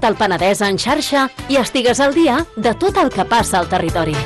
tot el Penedès en xarxa i estigues al dia de tot el que passa al territori.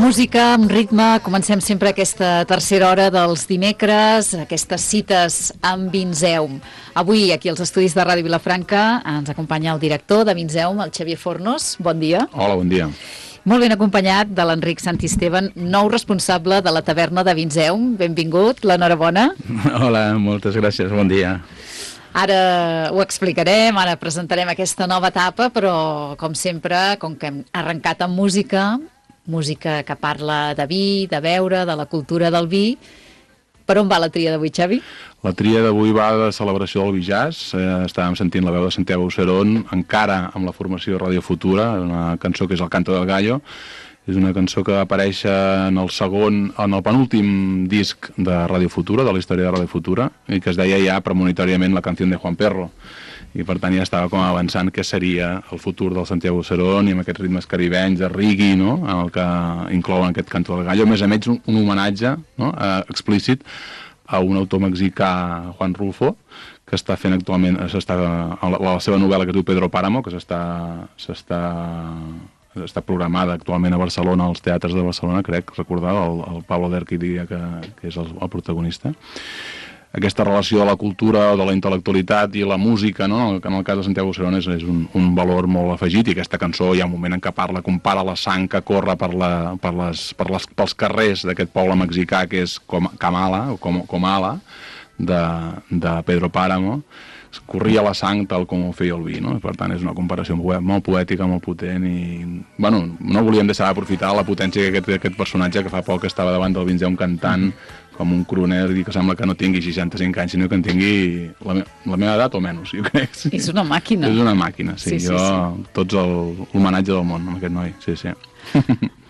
Música, amb ritme, comencem sempre aquesta tercera hora dels dimecres, aquestes cites amb Vinzeum. Avui, aquí als estudis de Ràdio Vilafranca, ens acompanya el director de Vinzeum, el Xavier Fornos. Bon dia. Hola, bon dia. Molt ben acompanyat de l'Enric Santisteban, nou responsable de la taverna de Vinzeum. Benvingut, l'enhorabona. Hola, moltes gràcies, bon dia. Ara ho explicarem, ara presentarem aquesta nova etapa, però, com sempre, com que hem arrencat amb música que parla de vi, de beure, de la cultura del vi. Per on va la tria d'avui, Xavi? La tria d'avui va de celebració del vi jazz. Estàvem sentint la veu de Santiago Auserón, encara amb la formació de Radio Futura, una cançó que és El canto del gallo. És una cançó que apareix en el penúltim disc de Radio Futura, de la història de Radio Futura, i que es deia ja premonitòriament La canción de Juan Perro. I per tant ja estava com avançant què seria el futur del Santiago Auserón i amb aquests ritmes caribenys de reggae, no?, en el que inclouen aquest canto del gallo. A més un homenatge, no?, explícit a un autor mexicà, Juan Rulfo, que està fent actualment la seva novel·la que diu Pedro Páramo, que està programada actualment a Barcelona, als teatres de Barcelona, crec recordar, el Pablo Derqui diria que és el protagonista. Aquesta relació de la cultura, de la intel·lectualitat i la música, no?, que en el cas de Santiago Auserón és un valor molt afegit, i aquesta cançó hi ha un moment en què compara la sang que corre pels carrers d'aquest poble mexicà que és Comala, de Pedro Páramo. Corria la sang tal com ho feia el vi, no? Per tant, és una comparació molt poètica, molt potent, i no volíem deixar d'aprofitar la potència d'aquest personatge que fa poc estava davant del Vinzeum cantant com un crooner, i que sembla que no tingui 65 anys, sinó que en tingui la meva edat o menys, jo crec. Sí. És una màquina. És una màquina, sí. Tots l'homenatge del món amb aquest noi, sí.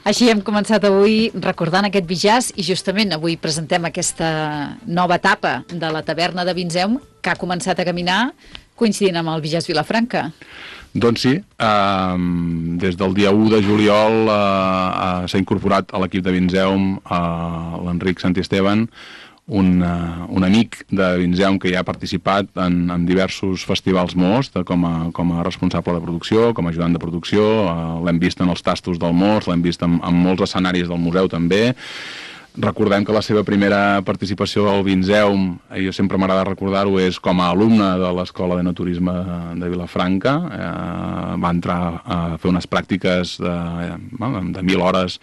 Així hem començat avui recordant aquest vi jazz, i justament avui presentem aquesta nova etapa de la taverna de Vinzeum, que ha començat a caminar coincidint amb el vi jazz Vilafranca. Doncs sí, des del dia 1 de juliol s'ha incorporat a l'equip de Vinzeum l'Enric Santisteban, un amic de Vinzeum que ja ha participat en diversos festivals Most com a responsable de producció, com a ajudant de producció. L'hem vist en els tastos del Most, l'hem vist en molts escenaris del museu també. Recordem que la seva primera participació al Vinzeum, jo sempre m'agrada recordar-ho, és com a alumne de l'Escola d'Enoturisme de Vilafranca. Va entrar a fer unes pràctiques de 1.000 hores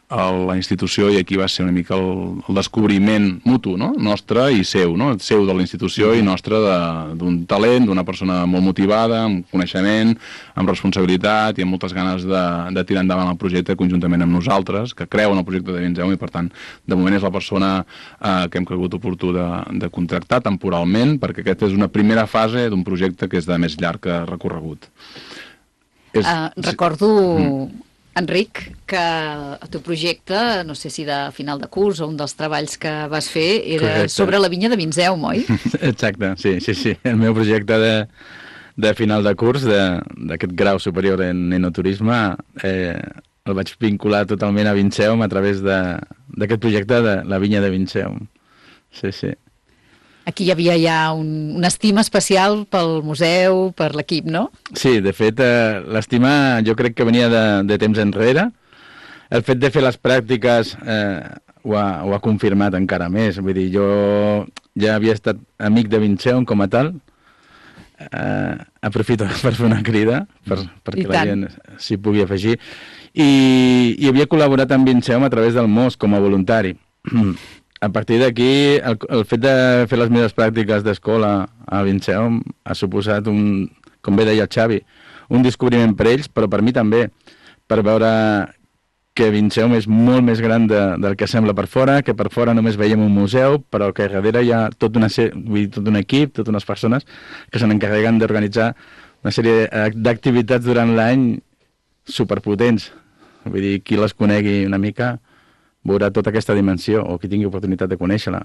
a la institució, i aquí va ser una mica el descobriment mutu, no? Nostre i seu, no? Seu de la institució i nostre d'un talent, d'una persona molt motivada, amb coneixement, amb responsabilitat i amb moltes ganes de tirar endavant el projecte conjuntament amb nosaltres, que creu en el projecte de Vinzeu, i per tant, de moment és la persona que hem cregut oportú de contractar temporalment, perquè aquesta és una primera fase d'un projecte que és de més llarg recorregut. Recordo, Enric, que el teu projecte, no sé si de final de curs o un dels treballs que vas fer, era sobre la vinya de Vinzeu, oi? Exacte, sí. El meu projecte de final de curs, d'aquest grau superior en enoturisme, el vaig vincular totalment a Vinzeu a través d'aquest projecte de la vinya de Vinzeu. Sí. Aquí hi havia ja una estima especial pel museu, per l'equip, no? Sí, de fet, l'estima jo crec que venia de temps enrere. El fet de fer les pràctiques ho ha confirmat encara més. Vull dir, jo ja havia estat amic de Vinzeu com a tal. Aprofito per fer una crida perquè la gent s'hi pugui afegir. I havia col·laborat amb Vinzeu a través del MOS com a voluntari. A partir d'aquí, el fet de fer les meves pràctiques d'escola a Vinzeu ha suposat, com bé deia el Xavi, un descobriment per ells, però per mi també, per veure que Vinzeu és molt més gran del que sembla per fora, que per fora només veiem un museu, però que darrere hi ha tot un equip, totes unes persones que se n'encarreguen d'organitzar una sèrie d'activitats durant l'any superpotents. Vull dir, qui les conegui una mica veurà tota aquesta dimensió, o qui tingui oportunitat de conèixer-la.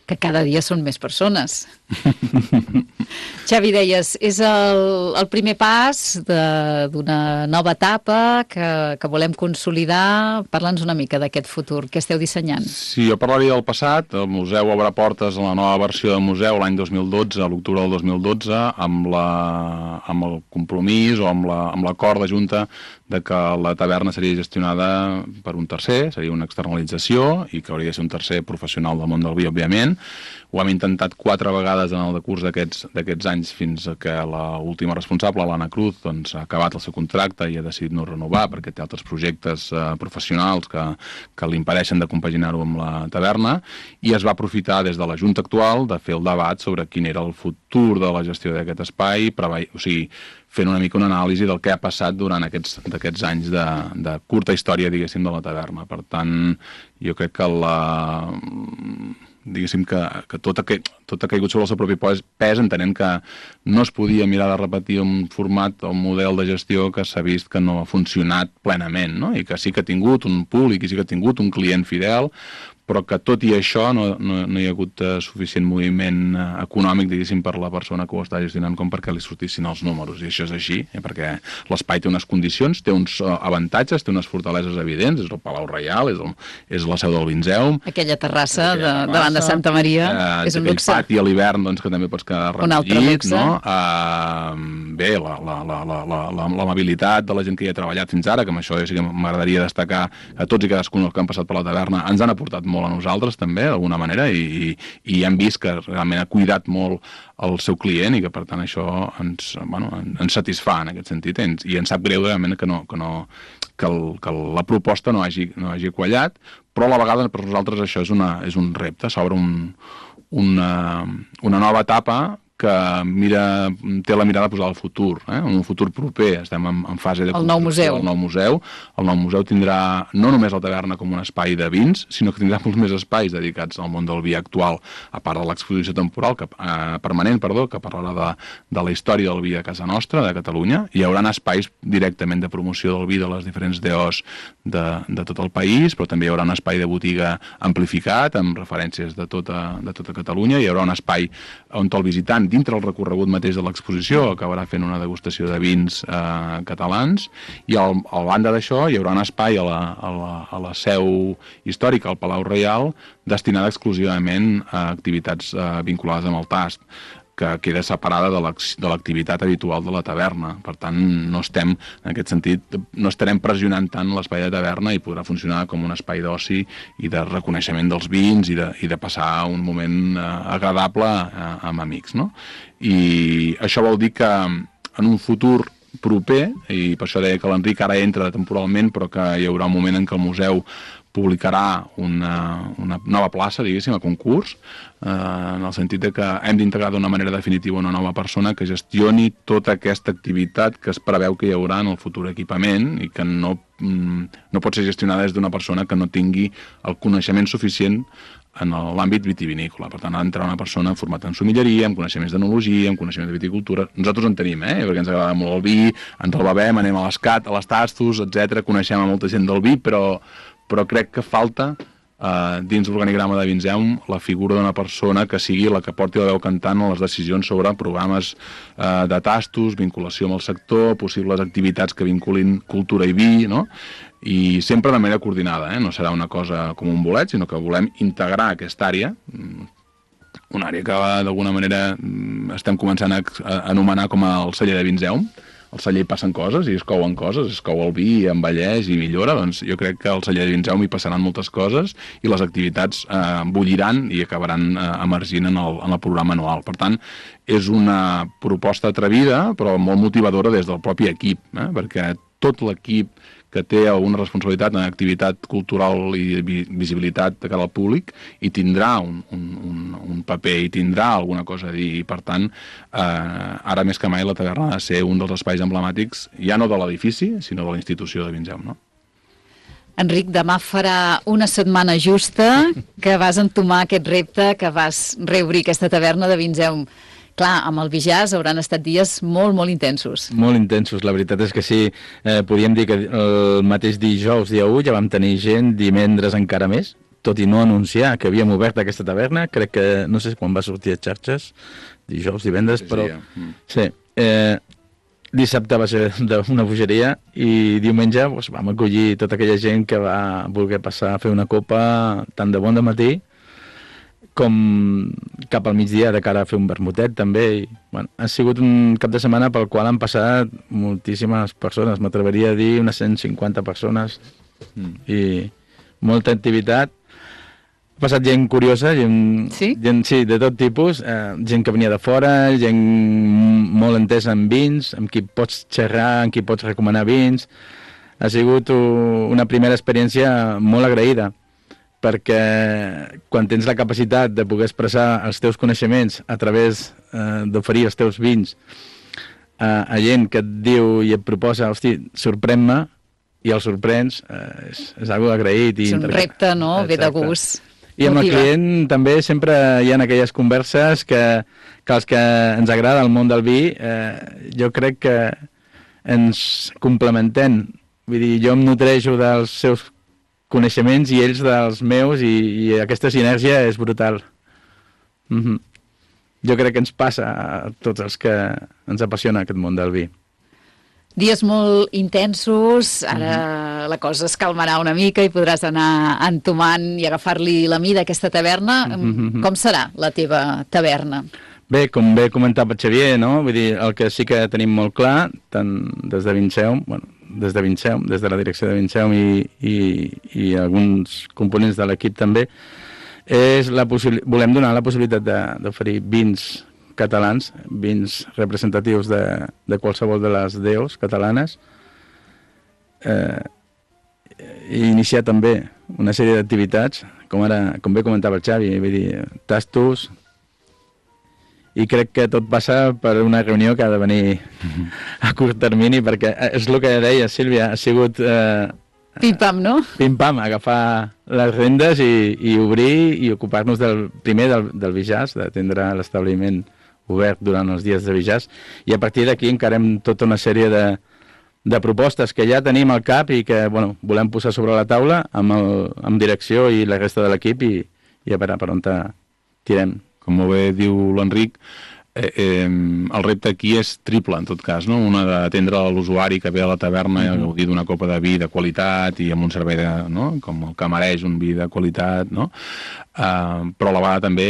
Que cada dia són més persones. Xavi, deies, és el primer pas d'una nova etapa que volem consolidar. Parla'ns una mica d'aquest futur. Què esteu dissenyant? Sí, jo parlaria del passat. El museu obre portes a la nova versió del museu l'any 2012, a l'octubre del 2012, amb el compromís o amb l'acord de Junta de que la taverna seria gestionada per un tercer, seria una externalització, i que hauria de ser un tercer professional del món del vi, òbviament. Ho hem intentat 4 vegades en el decurs d'aquests anys, fins que l'última responsable, l'Anna Cruz, doncs, ha acabat el seu contracte i ha decidit no renovar perquè té altres projectes professionals que li impedeixen de compaginar-ho amb la taverna, i es va aprofitar des de la Junta actual de fer el debat sobre quin era el futur de la gestió d'aquest espai, o sigui, fent una mica una anàlisi del que ha passat durant aquests anys de curta història, diguéssim, de la taverna. Per tant, jo crec que diguéssim que tot ha caigut sobre el seu propi pes, entenent que no es podia mirar de repetir un format o un model de gestió que s'ha vist que no ha funcionat plenament, no? I que sí que ha tingut un públic i sí que ha tingut un client fidel, però que tot i això no hi ha hagut suficient moviment econòmic, diguéssim, per la persona que ho està gestionant com perquè li sortissin els números. I això és així, perquè l'espai té unes condicions, té uns avantatges, té unes fortaleses evidents, és el Palau Reial, és la seu del Vinzeu. Aquella terrassa davant de Santa Maria és un luxe. Aquell pati a l'hivern, doncs, que també pots quedar recollit. Un altre luxe. No? Bé, l'amabilitat de la gent que hi ha treballat fins ara, que amb això sí que m'agradaria destacar a tots i cadascun que han passat per la taverna, ens han aportat molt a nosaltres també, d'alguna manera, i hem vist que realment ha cuidat molt el seu client i que per tant això ens satisfà en aquest sentit, i ens sap greu realment que la proposta no hagi quallat, però a la vegada per nosaltres això és un repte, s'obre una nova etapa que té la mirada posada al futur, un futur proper. Estem en fase de construcció del nou museu. El nou museu tindrà no només la taverna com un espai de vins, sinó que tindrà molts més espais dedicats al món del vi actual, a part de l'exposició temporal permanent, que parlarà de la història del vi a casa nostra, de Catalunya. Hi haurà espais directament de promoció del vi de les diferents DOs de tot el país, però també hi haurà un espai de botiga amplificat, amb referències de tota Catalunya. Hi haurà un espai on el visitant, dintre el recorregut mateix de l'exposició, acabarà fent una degustació de vins catalans, i a banda d'això hi haurà un espai a la seu històrica, al Palau Reial, destinada exclusivament a activitats vinculades amb el tast, que queda separada de l'activitat habitual de la taverna. Per tant, no estem, en aquest sentit, no estarem pressionant tant l'espai de taverna i podrà funcionar com un espai d'oci i de reconeixement dels vins i de passar un moment agradable amb amics, no? I això vol dir que en un futur proper, i per això deia que l'Enric ara entra temporalment, però que hi haurà un moment en què el museu publicarà una nova plaça, diguéssim, a concurs, en el sentit de que hem d'integrar d'una manera definitiva una nova persona que gestioni tota aquesta activitat que es preveu que hi haurà en el futur equipament i que no pot ser gestionada des d'una persona que no tingui el coneixement suficient en l'àmbit vitivinícola. Per tant, ha d'entrar una persona formada en somilleria, amb coneixements d'enologia, amb coneixements de viticultura. Nosaltres en tenim, perquè ens agrada molt el vi, ens el bevem, anem a l'Escat, a les tastos, etc. Coneixem a molta gent del vi, però crec que falta dins l'organigrama de Vinzeum la figura d'una persona que sigui la que porti la veu cantant a les decisions sobre programes de tastos, vinculació amb el sector, possibles activitats que vinculin cultura i vi, no? I sempre de manera coordinada, no serà una cosa com un bolet, sinó que volem integrar aquesta àrea, una àrea que d'alguna manera estem començant a anomenar com el celler de Vinzeum. Al celler passen coses i es couen coses, es cou el vi, envelleix i millora, doncs jo crec que al celler de Vinzeum hi passaran moltes coses i les activitats bulliran i acabaran emergint en el programa anual. Per tant, és una proposta atrevida però molt motivadora des del propi equip, perquè tot l'equip que té una responsabilitat en activitat cultural i visibilitat de cara al públic i tindrà un paper i tindrà alguna cosa a dir i per tant ara més que mai la taverna ha de ser un dels espais emblemàtics ja no de l'edifici sinó de la institució de Vinzeum, no? Enric, demà farà una setmana justa que vas entomar aquest repte, que vas reobrir aquesta taverna de Vinzeum. Clar, amb el Bijàs hauran estat dies molt, molt intensos. Molt intensos, la veritat és que sí. Podríem dir que el mateix dijous, dia 1, ja vam tenir gent, divendres encara més, tot i no anunciar que havíem obert aquesta taverna. Crec que, no sé quan va sortir a xarxes, dijous, divendres, però... Sí, dissabte va ser una bogeria i diumenge vam acollir tota aquella gent que va voler passar a fer una copa tant de bon de matí com cap al migdia de cara a fer un vermutet també. I, bueno, ha sigut un cap de setmana pel qual han passat moltíssimes persones, m'atreveria a dir unes 150 persones i molta activitat. Ha passat gent curiosa, gent, sí, de tot tipus, gent que venia de fora, gent molt entesa en vins, amb qui pots xerrar, amb qui pots recomanar vins. Ha sigut una primera experiència molt agraïda, perquè quan tens la capacitat de poder expressar els teus coneixements a través d'oferir els teus vins a gent que et diu i et proposa, hosti, sorprèn-me, i el sorprens, és algo agraït. És un repte, no? Exacte. Ve de gust. I amb el client també sempre hi ha aquelles converses que els que ens agrada el món del vi, jo crec que ens complementem. Vull dir, jo em nutreixo dels seus coneixements i ells dels meus i aquesta sinergia és brutal. Jo crec que ens passa a tots els que ens apassiona aquest món del vi. Dies molt intensos, ara la cosa es calmarà una mica i podràs anar entomant i agafar-li la mida a aquesta taverna. Com serà la teva taverna? Bé, com bé comentava Xavier, no? Vull dir, el que sí que tenim molt clar, tant des de Vinzeum, des de la direcció de Vinzeum i alguns components de l'equip també, volem donar la possibilitat d'oferir vins catalans, vins representatius de qualsevol de les deus catalanes, i iniciar també una sèrie d'activitats, com bé comentava el Xavi, vull dir, tastos, i crec que tot passa per una reunió que ha de venir a curt termini, perquè és el que deia Sílvia, ha sigut... Pim-pam, no? Pim-pam, agafar les rendes i obrir i ocupar-nos primer del Bijàs, d'atendre l'establiment obert durant els dies de Bijàs, i a partir d'aquí encarem tota una sèrie de propostes que ja tenim al cap i que volem posar sobre la taula amb direcció i la resta de l'equip i a veure per on tirem. Com molt bé diu l'Enric, el repte aquí és triple, en tot cas, no? Una d'atendre l'usuari que ve a la taverna i gaudir d'una copa de vi de qualitat i amb un servei com el que mereix un vi de qualitat, no? Però a la vegada també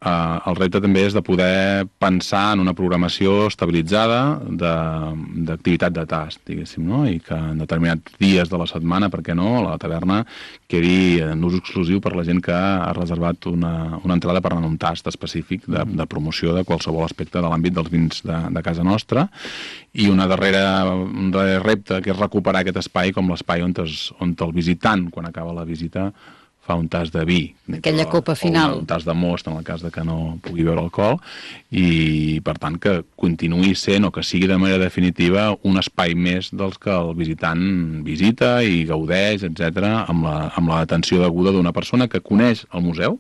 el repte també és de poder pensar en una programació estabilitzada d'activitat de tast, diguéssim, no? I que en determinats dies de la setmana, per què no, la taverna quedi en ús exclusiu per la gent que ha reservat una entrada per anar a un tast específic de promoció de qualsevol aspecte de l'àmbit dels vins de casa nostra, i un darrer repte que és recuperar aquest espai com l'espai on el visitant, quan acaba la visita, fa un tas de vi. Aquella copa final. O un tas de most, en el cas de que no pugui beure alcohol, i per tant que continuï sent, o que sigui de manera definitiva, un espai més dels que el visitant visita i gaudeix, etc, amb l'atenció deguda d'una persona que coneix el museu,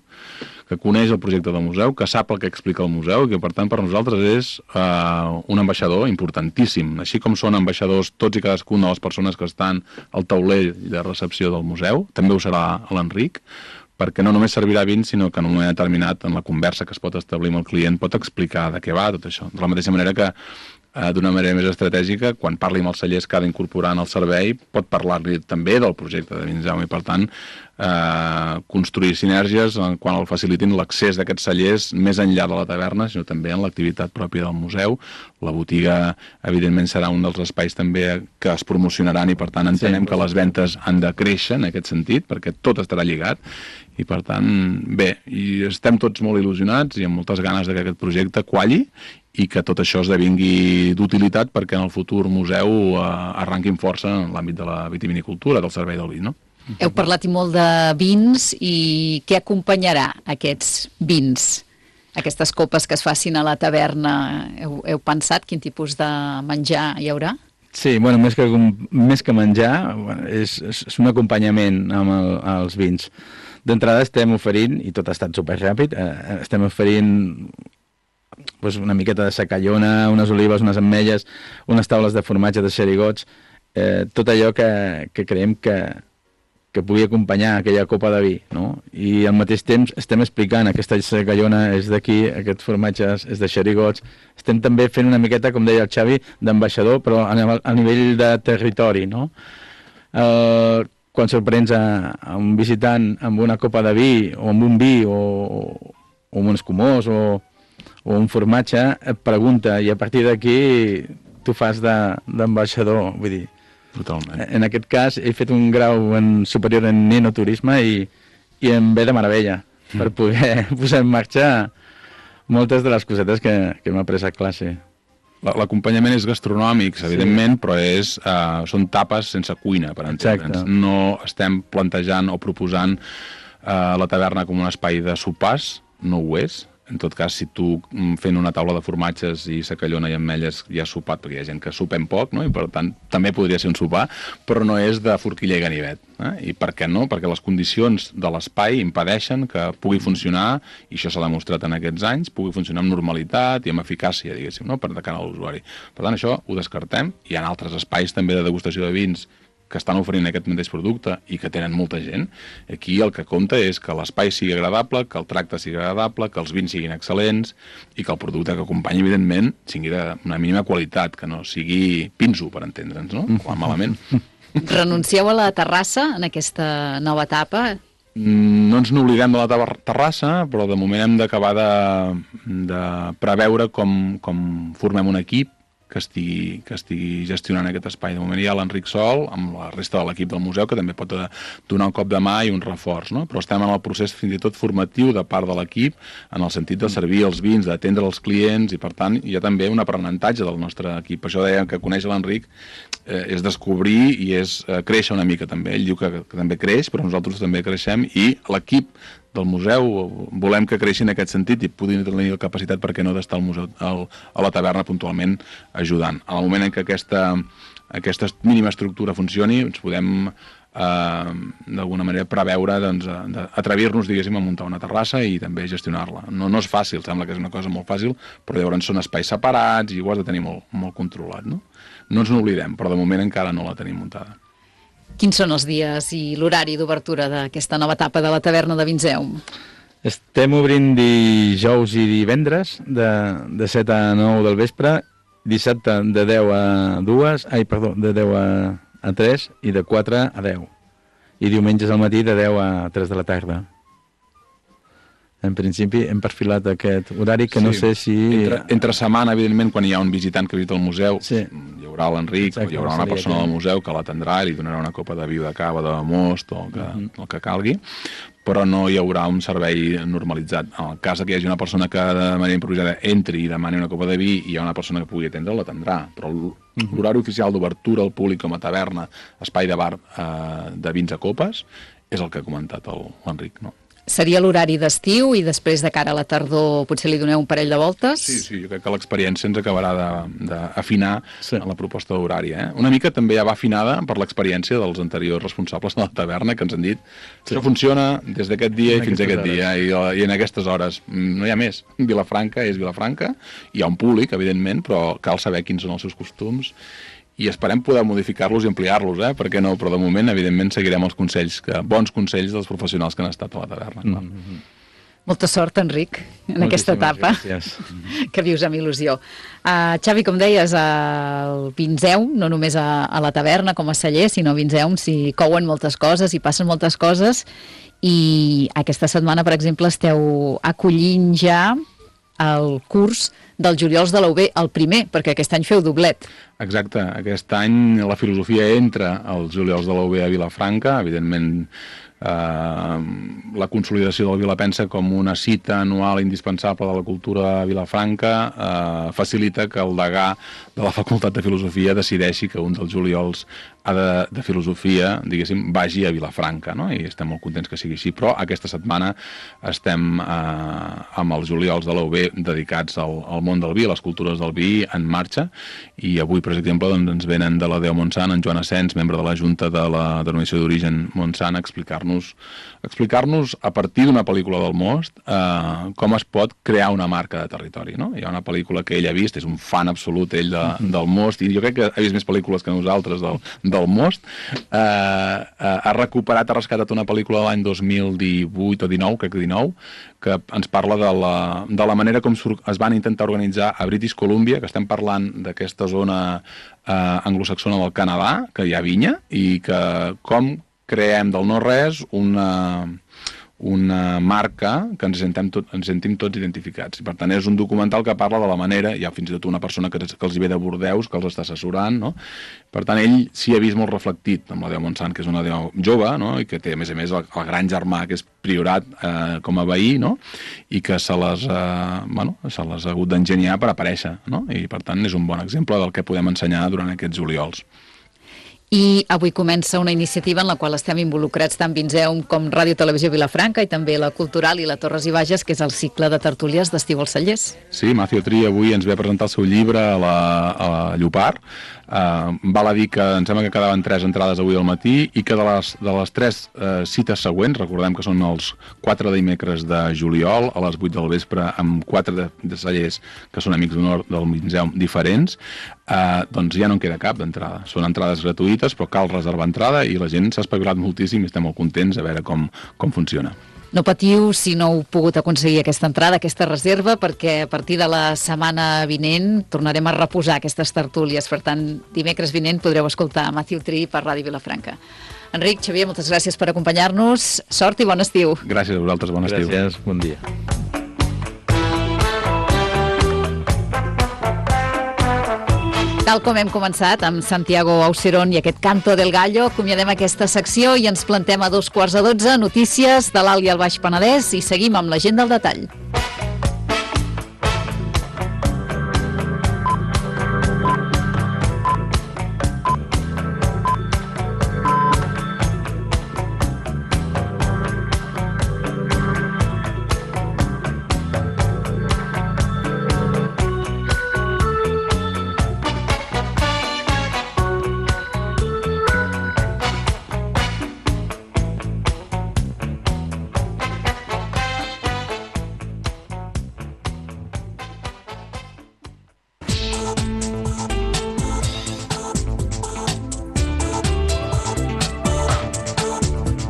que coneix el projecte del museu, que sap el que explica el museu, i que per tant per nosaltres és un ambaixador importantíssim, així com són ambaixadors tots i cadascuna de les persones que estan al tauler de recepció del museu, també ho serà l'Enric, perquè no només servirà vins, sinó que en un moment determinat, en la conversa que es pot establir amb el client, pot explicar de què va tot això. De la mateixa manera que d'una manera més estratègica, quan parli amb els cellers que ha d'incorporar en el servei, pot parlar-li també del projecte de Vinseu, i per tant construir sinergies quan el facilitin l'accés d'aquests cellers més enllà de la taverna, sinó també en l'activitat pròpia del museu. La botiga, evidentment, serà un dels espais també que es promocionaran, i per tant entenem que les ventes han de créixer en aquest sentit, perquè tot estarà lligat, i per tant, bé, i estem tots molt il·lusionats i amb moltes ganes que aquest projecte qualli i que tot això esdevingui d'utilitat perquè en el futur museu arranquin força en l'àmbit de la vitivinicultura, del servei del vi, no? Heu parlat i molt de vins, i què acompanyarà aquests vins? Aquestes copes que es facin a la taverna, heu pensat quin tipus de menjar hi haurà? Sí, bueno, més que menjar, és un acompanyament amb els vins. D'entrada estem oferint, i tot ha estat superràpid, estem oferint una miqueta de secallona, unes olives, unes ametlles, unes taules de formatge, de xerigots, tot allò que creiem que pugui acompanyar aquella copa de vi, no? I al mateix temps estem explicant aquesta secallona és d'aquí, aquest formatge és de xerigots. Estem també fent una miqueta, com deia el Xavi, d'ambaixador, però a nivell de territori, no? Quan sorprens a un visitant amb una copa de vi, o amb un vi, o amb un escumós, o un formatge, et pregunta, i a partir d'aquí tu fas d'ambaixador, vull dir. Totalment. En aquest cas he fet un grau superior en enoturisme i em ve de meravella per poder posar en marxa moltes de les cosetes que hem après a classe. L'acompanyament és gastronòmic, evidentment, però són tapes sense cuina, per entendre'ns. No estem plantejant o proposant la taverna com un espai de sopars, no ho és. En tot cas, si tu fent una taula de formatges i secallona i ametlles ja has sopat, perquè hi ha gent que sopem poc, no? I per tant també podria ser un sopar, però no és de forquilla i ganivet. I per què no? Perquè les condicions de l'espai impedeixen que pugui funcionar, i això s'ha demostrat en aquests anys, pugui funcionar amb normalitat i amb eficàcia, diguéssim, no? Per de cara a l'usuari. Per tant, això ho descartem. Hi ha altres espais també de degustació de vins que estan oferint aquest mateix producte i que tenen molta gent. Aquí el que compta és que l'espai sigui agradable, que el tracte sigui agradable, que els vins siguin excel·lents i que el producte que acompanyi, evidentment, sigui d'una mínima qualitat, que no sigui pinso, per entendre'ns, no? O malament. Renuncieu a la terrassa en aquesta nova etapa? No ens n'oblidem de la terrassa, però de moment hem d'acabar de preveure com formem un equip que estigui gestionant aquest espai. De moment hi ha l'Enric Sol, amb la resta de l'equip del museu, que també pot donar un cop de mà i un reforç, no? Però estem en el procés fins i tot formatiu de part de l'equip, en el sentit de servir els vins, d'atendre els clients, i per tant hi ha també un aprenentatge del nostre equip. Per això dèiem que conèixer l'Enric és descobrir i és créixer una mica també. Ell diu que també creix, però nosaltres també creixem, i l'equip del museu volem que creixi en aquest sentit i puguin tenir la capacitat, per què no, d'estar al museu, a la taverna puntualment ajudant. En el moment en què aquesta mínima estructura funcioni, ens podem d'alguna manera preveure d'atrevir-nos, diguéssim, a muntar una terrassa i també gestionar-la. No és fàcil, sembla que és una cosa molt fàcil, però llavors són espais separats i ho has de tenir molt controlat, no? No ens n'oblidem, però de moment encara no la tenim muntada. Quins són els dies i l'horari d'obertura d'aquesta nova etapa de la taverna de Vinseu? Estem obrint dijous i divendres de 7 a 9 del vespre, dissabte de 10 a 2, de 10 a 3 i de 4 a 10. I diumenges al matí de 10 a 3 de la tarda. en principi hem perfilat aquest horari que no sé si... Entre setmana, evidentment, quan hi ha un visitant que visita el museu, hi haurà l'Enric, hi haurà una persona del museu que l'atendrà i li donarà una copa de vi de cava, de most o el que calgui, però no hi haurà un servei normalitzat. En el cas que hi hagi una persona que de manera improvisada entri i demani una copa de vi i hi ha una persona que pugui atendre, l'atendrà, però l'horari oficial d'obertura al públic com a taverna, espai de bar de vins a copes, és el que ha comentat l'Enric, no? Seria l'horari d'estiu i després de cara a la tardor potser li doneu un parell de voltes? Sí, jo crec que l'experiència ens acabarà d'afinar en la proposta d'horari. Una mica també ja va afinada per l'experiència dels anteriors responsables de la taverna que ens han dit això funciona des d'aquest dia i fins a aquest dia i en aquestes hores. No hi ha més. Vilafranca és Vilafranca, hi ha un públic, evidentment, però cal saber quins són els seus costums i esperem poder modificar-los i ampliar-los, per què no? Però de moment, evidentment, seguirem els bons consells dels professionals que han estat a la taverna. Molta sort, Enric, en aquesta etapa que vius amb il·lusió. Xavi, com deies, el Vinzeum, no només a la taverna com a celler, sinó a Vinzeum s'hi couen moltes coses, hi passen moltes coses, i aquesta setmana, per exemple, esteu acollint ja el curs dels Juliols de la UB, el primer, perquè aquest any feu doblet. Exacte, aquest any la filosofia entra als Juliols de la UB a Vilafranca, evidentment la consolidació del Vilapensa com una cita anual indispensable de la cultura a Vilafranca facilita que el degà de la Facultat de Filosofia decideixi que un dels juliols de filosofia, diguéssim, vagi a Vilafranca, no? I estem molt contents que sigui així, però aquesta setmana estem amb els juliols de la UB dedicats al món del vi, a les cultures del vi en marxa, i avui, per exemple, doncs, ens venen de la DEO Montsant en Joan Asens, membre de la Junta de la Denominació d'Origen Montsant, a explicar-nos a partir d'una pel·lícula del Most com es pot crear una marca de territori, no? Hi ha una pel·lícula que ell ha vist, és un fan absolut ell del Most, i jo crec que ha vist més pel·lícules que nosaltres del Most, ha rescatat una pel·lícula de l'any 2018 o 19, crec que 19, que ens parla de la manera com es van intentar organitzar a British Columbia, que estem parlant d'aquesta zona anglosaxona del Canadà, que hi ha vinya, i que com creem del no-res una marca que ens sentim tots identificats. I per tant és un documental que parla de la manera, hi ha fins i tot una persona que els ve de Bordeus, que els està assessorant, no? Per tant ell s'hi ha vist molt reflectit amb la DEO Montsant, que és una DEO jove, no? I que té a més el gran germà que és priorat com a veí, no? I que se les ha hagut d'enginyar per aparèixer, no? I per tant és un bon exemple del que podem ensenyar durant aquests juliols. I avui comença una iniciativa en la qual estem involucrats tant Vinzeum com Ràdio Televisió Vilafranca i també la Cultural i la Torres i Bages, que és el cicle de tertúlies d'estiu als cellers. Sí, Matthew Tree avui ens ve a presentar el seu llibre a la Llopart. Val a dir que em sembla que quedaven 3 entrades avui al matí i que de les 3 cites següents, recordem que són els 4 dimecres de juliol a les 8 del vespre amb 4 de cellers que són amics d'honor del Vinzeum diferents, doncs ja no en queda cap d'entrada. Són entrades gratuïtes, però cal reservar entrada i la gent s'ha espavilat moltíssim i estem molt contents a veure com funciona. No patiu si no heu pogut aconseguir aquesta entrada, aquesta reserva, perquè a partir de la setmana vinent tornarem a reposar aquestes tertúlies. Per tant, dimecres vinent podreu escoltar Matthew Tree per Ràdio Vilafranca. Enric, Xavier, moltes gràcies per acompanyar-nos. Sort i bon estiu. Gràcies a vosaltres, bon estiu. Gràcies, bon dia. Tal com hem començat amb Santiago Auserón i aquest Canto del Gallo, acomiadem aquesta secció i ens plantem a 11:45, notícies de l'Alt i el Baix Penedès, i seguim amb la gent del detall.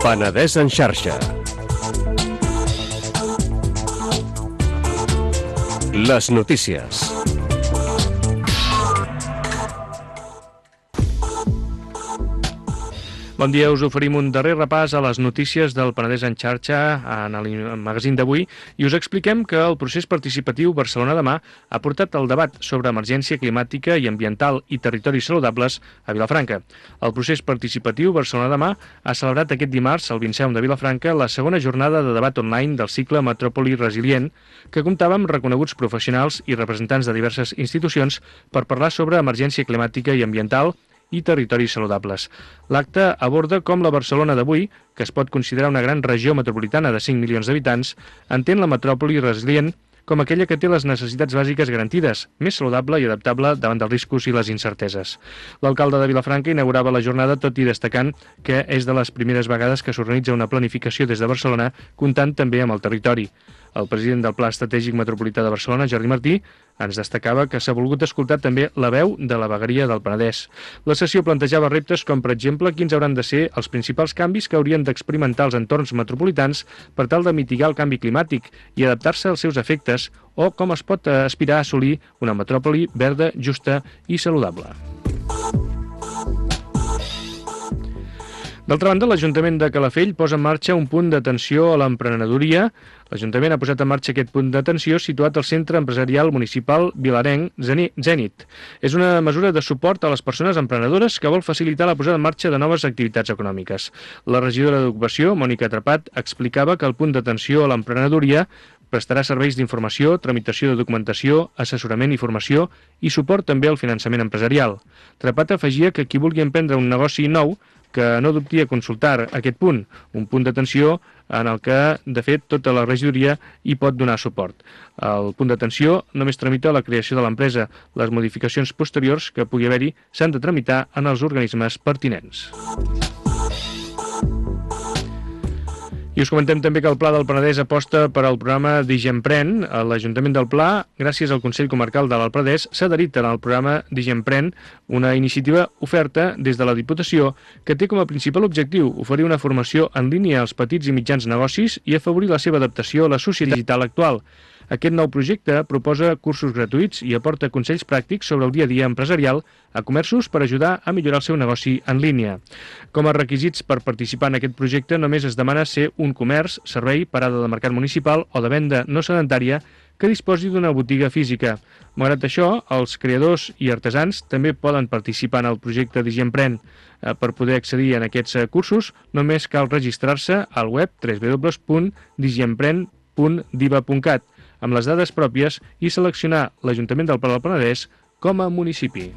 Penedès en xarxa. Les notícies. Bon dia, us oferim un darrer repàs a les notícies del Penedès en xarxa en el magazín d'avui i us expliquem que el procés participatiu Barcelona Demà ha portat el debat sobre emergència climàtica i ambiental i territoris saludables a Vilafranca. El procés participatiu Barcelona Demà ha celebrat aquest dimarts al Vinceum de Vilafranca la segona jornada de debat online del cicle Metròpoli Resilient, que comptava amb reconeguts professionals i representants de diverses institucions per parlar sobre emergència climàtica i ambiental i territoris saludables. L'acte aborda com la Barcelona d'avui, que es pot considerar una gran regió metropolitana de 5 milions d'habitants, entén la metròpoli resilient com aquella que té les necessitats bàsiques garantides, més saludable i adaptable davant dels riscos i les incerteses. L'alcalde de Vilafranca inaugurava la jornada tot i destacant que és de les primeres vegades que s'organitza una planificació des de Barcelona, comptant també amb el territori. El president del Pla Estratègic Metropolità de Barcelona, Jordi Martí, ens destacava que s'ha volgut escoltar també la veu de la vegueria del Penedès. La sessió plantejava reptes com, per exemple, quins hauran de ser els principals canvis que haurien d'experimentar els entorns metropolitans per tal de mitigar el canvi climàtic i adaptar-se als seus efectes, o com es pot aspirar a assolir una metròpoli verda, justa i saludable. D'altra banda, l'Ajuntament de Calafell posa en marxa un punt d'atenció a l'emprenedoria. L'Ajuntament ha posat en marxa aquest punt d'atenció situat al Centre Empresarial Municipal Vilarenc Zenit. És una mesura de suport a les persones emprenedores que vol facilitar la posada en marxa de noves activitats econòmiques. La regidora d'Ocupació, Mònica Trepat, explicava que el punt d'atenció a l'emprenedoria prestarà serveis d'informació, tramitació de documentació, assessorament i formació i suport també al finançament empresarial. Trepat afegia que qui vulgui emprendre un negoci nou que no dubti a consultar aquest punt, un punt d'atenció en el que, de fet, tota la regidoria hi pot donar suport. El punt d'atenció només tramita la creació de l'empresa. Les modificacions posteriors que pugui haver-hi s'han de tramitar en els organismes pertinents. I us comentem també que el Pla del Penedès aposta per al programa DigiEmpren. L'Ajuntament del Pla, gràcies al Consell Comarcal de l'Alt Penedès, s'ha adherit al programa DigiEmpren, una iniciativa oferta des de la Diputació que té com a principal objectiu oferir una formació en línia als petits i mitjans negocis i afavorir la seva adaptació a la societat digital actual. Aquest nou projecte proposa cursos gratuïts i aporta consells pràctics sobre el dia a dia empresarial a comerços per ajudar a millorar el seu negoci en línia. Com a requisits per participar en aquest projecte només es demana ser un comerç, servei, parada de mercat municipal o de venda no sedentària que disposi d'una botiga física. Malgrat això, els creadors i artesans també poden participar en el projecte DigiEmpren. Per poder accedir a aquests cursos només cal registrar-se al web www.digiempren.diva.cat amb les dades pròpies i seleccionar l'Ajuntament del Pla del Penedès com a municipi.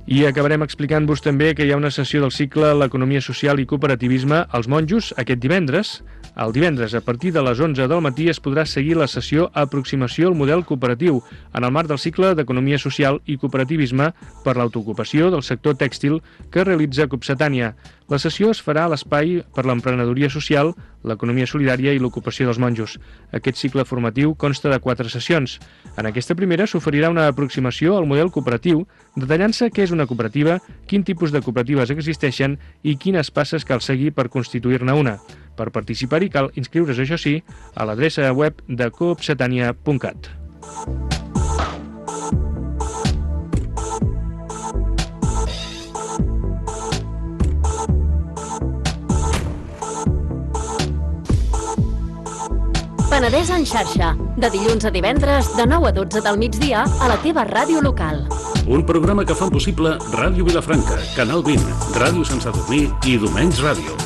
I acabarem explicant-vos també que hi ha una sessió del cicle L'Economia Social i Cooperativisme als Monjos aquest divendres. El divendres, a partir de les 11 del matí, es podrà seguir la sessió Aproximació al model cooperatiu en el marc del cicle d'Economia Social i Cooperativisme per l'autoocupació del sector tèxtil que realitza Copsetània. La sessió es farà a l'espai per l'emprenedoria social, l'economia solidària i l'ocupació dels monjos. Aquest cicle formatiu consta de 4 sessions. En aquesta primera s'oferirà una aproximació al model cooperatiu, detallant-se què és una cooperativa, quin tipus de cooperatives existeixen i quines passes cal seguir per constituir-ne una. Per participar-hi cal inscriure's, això sí, a l'adreça web de coopsetania.cat. Penedès en xarxa, de dilluns a divendres, de 9 a 12 del migdia, a la teva ràdio local. Un programa que fan possible Ràdio Vilafranca, Canal 20, Ràdio Sant Sadurní i Domenys Ràdio.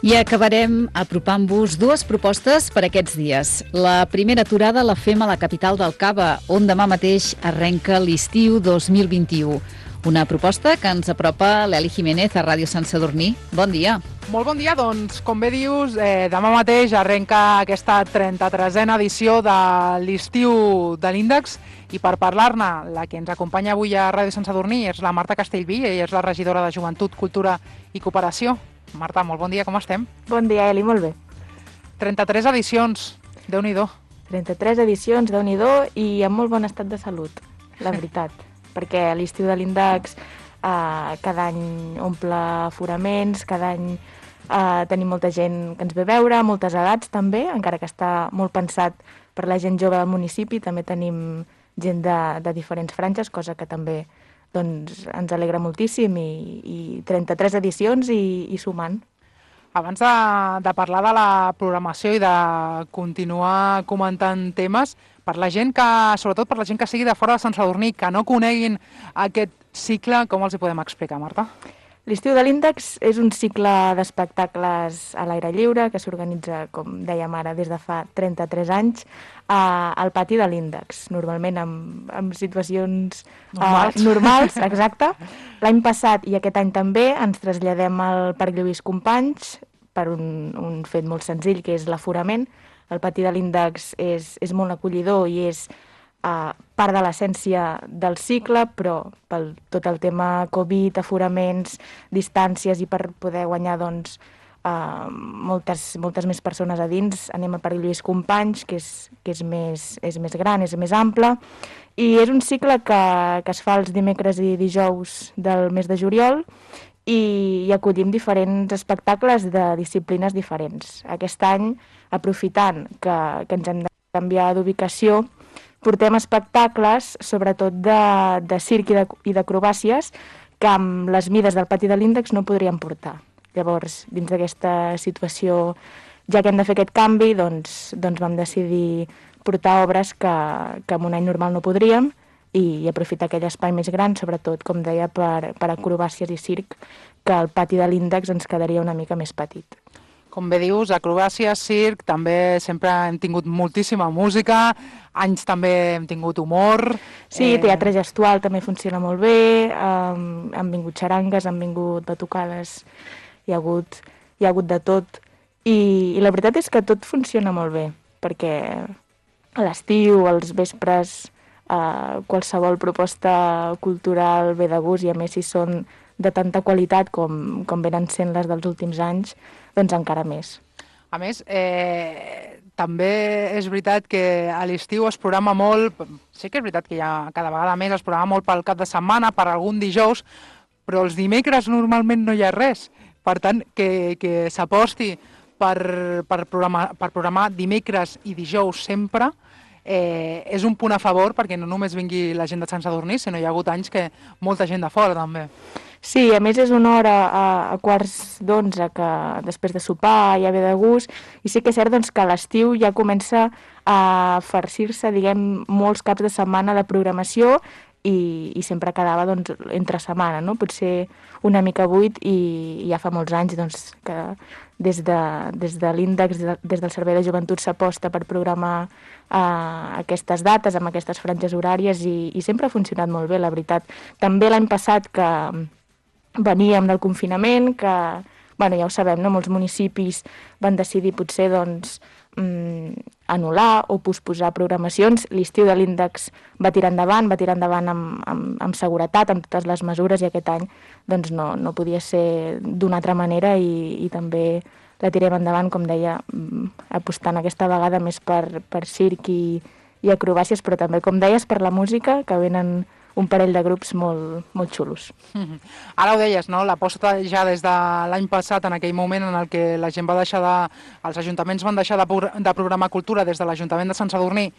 I acabarem apropant-vos 2 propostes per aquests dies. La primera aturada la fem a la capital del Cava, on demà mateix arrenca l'estiu 2021. Una proposta que ens apropa l'Eli Jiménez a Ràdio Sant Sadurní. Bon dia. Molt bon dia, doncs, com bé dius, demà mateix arrenca aquesta 33a edició de l'estiu de l'Índex i per parlar-ne, la que ens acompanya avui a Ràdio Sant Sadurní és la Marta Castellví, ella és la regidora de Joventut, Cultura i Cooperació. Marta, molt bon dia, com estem? Bon dia, Eli, molt bé. 33 edicions, Déu-n'hi-do. 33 edicions, Déu-n'hi-do, i en molt bon estat de salut, la veritat. Perquè l'estiu de l'Índex cada any omple aforaments, cada any tenim molta gent que ens ve a veure, moltes edats també, encara que està molt pensat per la gent jove del municipi, també tenim gent de diferents franges, cosa que també doncs, ens alegra moltíssim, i 33 edicions i sumant. Abans de parlar de la programació i de continuar comentant temes, per la gent que, sobretot per la gent que sigui de fora de Sant Sadurní, que no coneguin aquest cicle, com els hi podem explicar, Marta? L'estiu de l'Índex és un cicle d'espectacles a l'aire lliure que s'organitza, com dèiem ara, des de fa 33 anys al pati de l'Índex, normalment en situacions normals, exacte. L'any passat i aquest any també ens traslladem al Parc Lluís Companys per un fet molt senzill, que és l'aforament. El pati de l'Índex és molt acollidor i és part de l'essència del cicle, però per tot el tema Covid, aforaments, distàncies i per poder guanyar doncs, moltes més persones a dins, anem al Parc Lluís Companys, que és més gran, és més ample, i és un cicle que es fa els dimecres i dijous del mes de juliol i acollim diferents espectacles de disciplines diferents. Aquest any, aprofitant que ens hem de canviar d'ubicació, portem espectacles, sobretot de circ i d'acrobàcies, que amb les mides del pati de l'Índex no podríem portar. Llavors, dins d'aquesta situació, ja que hem de fer aquest canvi, doncs vam decidir portar obres que en un any normal no podríem i aprofitar aquell espai més gran, sobretot, com deia, per acrobàcies i circ, que el pati de l'Índex ens quedaria una mica més petit. Com bé dius, acrobàcies, circ, també sempre hem tingut moltíssima música, anys també hem tingut humor. Sí, teatre gestual també funciona molt bé, han vingut xarangues, han vingut batucades, hi ha hagut de tot. I la veritat és que tot funciona molt bé, perquè a l'estiu, als vespres, qualsevol proposta cultural ve de gust, i a més si són de tanta qualitat com venen sent les dels últims anys, doncs encara més. A més, també és veritat que a l'estiu es programa molt, sí que és veritat que ja cada vegada més es programa molt pel cap de setmana, per algun dijous, però els dimecres normalment no hi ha res. Per tant, que s'aposti per programar dimecres i dijous sempre és un punt a favor, perquè no només vingui la gent de Sant Sadurní, sinó hi ha hagut anys que molta gent de fora també. Sí, a més és una hora a 11:15 que després de sopar ja ve de gust, i sí que és cert doncs, que a l'estiu ja comença a farcir-se, diguem, molts caps de setmana de programació i sempre quedava doncs, entre setmana, no? Potser una mica buit, i ja fa molts anys doncs, que des de l'Índex, des del Servei de Joventut s'aposta per programar aquestes dates amb aquestes franges horàries i sempre ha funcionat molt bé, la veritat. També l'any passat que veníem del confinament, que, ja ho sabem, no? Molts municipis van decidir potser doncs, anul·lar o posposar programacions. L'estiu de l'Índex va tirar endavant amb seguretat, amb totes les mesures, i aquest any doncs, no podia ser d'una altra manera, i també la tirem endavant, com deia, apostant aquesta vegada més per circ i acrobàcies, però també, com deies, per la música, que venen un parell de grups molt, molt xulos. Ara ho deies, no? L'aposta ja des de l'any passat, en aquell moment en el que la gent va deixar els ajuntaments van deixar de programar cultura des de l'Ajuntament de Sant Sadurní,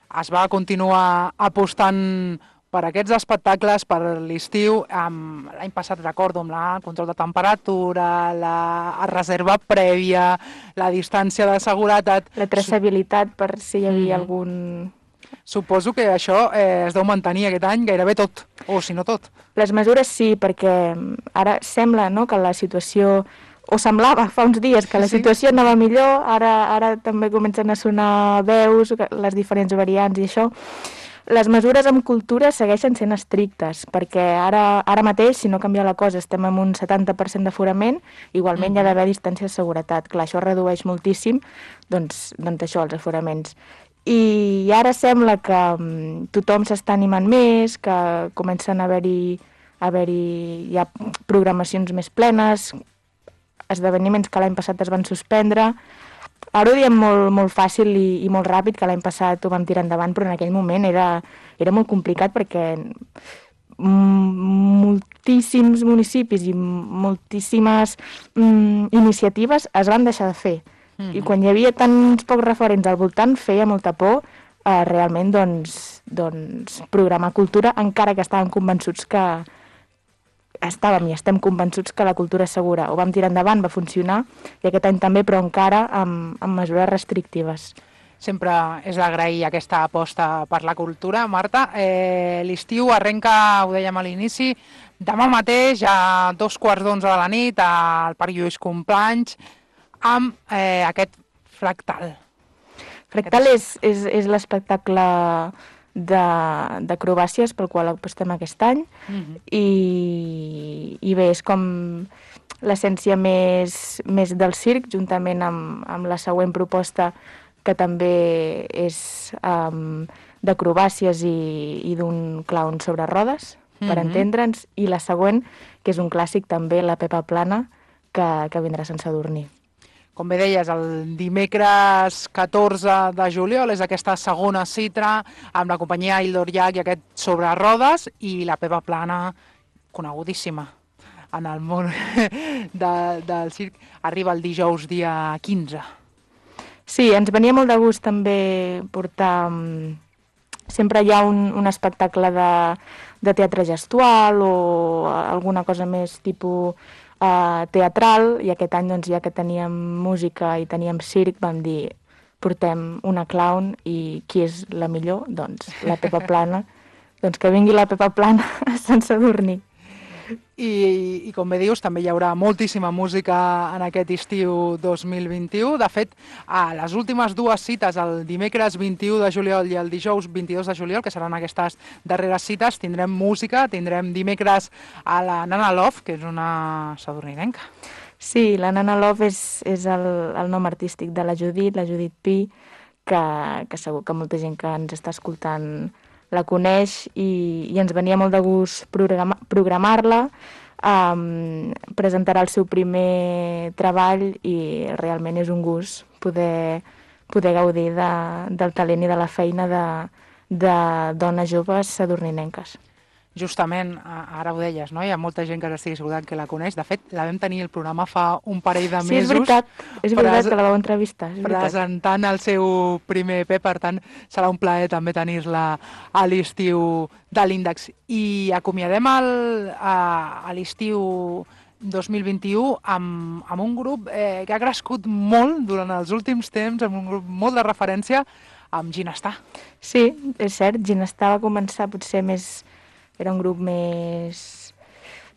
es va continuar apostant per aquests espectacles, per l'estiu. L'any passat, recordo, amb el control de temperatura, la reserva prèvia, la distància de seguretat... La traçabilitat per si hi havia algun... Suposo que això es deu mantenir aquest any gairebé tot, o si no tot. Les mesures sí, perquè ara sembla, no?, que la situació, o semblava fa uns dies que la situació anava millor, ara també comencen a sonar veus, les diferents variants i això. Les mesures en cultura segueixen sent estrictes, perquè ara mateix, si no canvia la cosa, estem amb un 70% d'aforament, igualment hi ha d'haver distància de seguretat. Clar, això redueix moltíssim, doncs això, els aforaments. I ara sembla que tothom s'està animant més, que comencen a haver-hi ja programacions més plenes. esdeveniments que l'any passat es van suspendre. Ara ho diem molt fàcil i molt ràpid, que l'any passat ho vam tirar endavant, però en aquell moment era molt complicat perquè moltíssims municipis i moltíssimes iniciatives es van deixar de fer. I quan hi havia tants pocs referents al voltant feia molta por realment doncs, programar cultura, encara que estàvem convençuts que i estem convençuts que la cultura és segura. Ho vam tirar endavant, va funcionar, i aquest any també, però encara amb mesures restrictives. Sempre és d'agrair aquesta aposta per la cultura. Marta, l'estiu arrenca, ho dèiem a l'inici, demà mateix a 2:15 de la nit al Parc Lluís Companys amb aquest Fractal. Fractal és l'espectacle d'acrobàcies pel qual apostem aquest any i bé, és com l'essència més del circ, juntament amb la següent proposta, que també és d'acrobàcies i d'un clown sobre rodes, per entendre'ns, i la següent, que és un clàssic també, la Pepa Plana, que vindrà a Sant Sadurní. Com bé deies, el dimecres 14 de juliol és aquesta segona cita amb la companyia Ildor Llach i aquest sobre rodes, i la Pepa Plana, conegudíssima en el món del circ, arriba el dijous dia 15. Sí, ens venia molt de gust també portar... Sempre hi ha un espectacle de teatre gestual o alguna cosa més tipus teatral, i aquest any, doncs, ja que teníem música i teníem circ, vam dir, portem una clown, i qui és la millor? Doncs la Pepa Plana. Doncs que vingui la Pepa Plana a Sant Sadurní. I com bé dius, també hi haurà moltíssima música en aquest estiu 2021. De fet, a les últimes dues cites, el dimecres 21 de juliol i el dijous 22 de juliol, que seran aquestes darreres cites, tindrem música, tindrem dimecres a la Nana Love, que és una sadurninenca. Sí, la Nana Love és el nom artístic de la Judit Pi, que segur que molta gent que ens està escoltant la coneix, i ens venia molt de gust programar-la. Presentarà el seu primer treball i realment és un gust poder gaudir del talent i de la feina de dones joves sadurninenques. Justament, ara ho deies, no? Hi ha molta gent que estigui segura que la coneix. De fet, la vam tenir el programa fa un parell de mesos. Sí, és veritat que la vau entrevistar. Presentant el seu primer EP, per tant, serà un plaer també tenir-la a l'estiu de l'Índex. I acomiadem a l'estiu 2021 amb un grup que ha crescut molt durant els últims temps, amb un grup molt de referència, amb Ginestar. Sí, és cert, Ginestar va començar potser més... Era un grup més,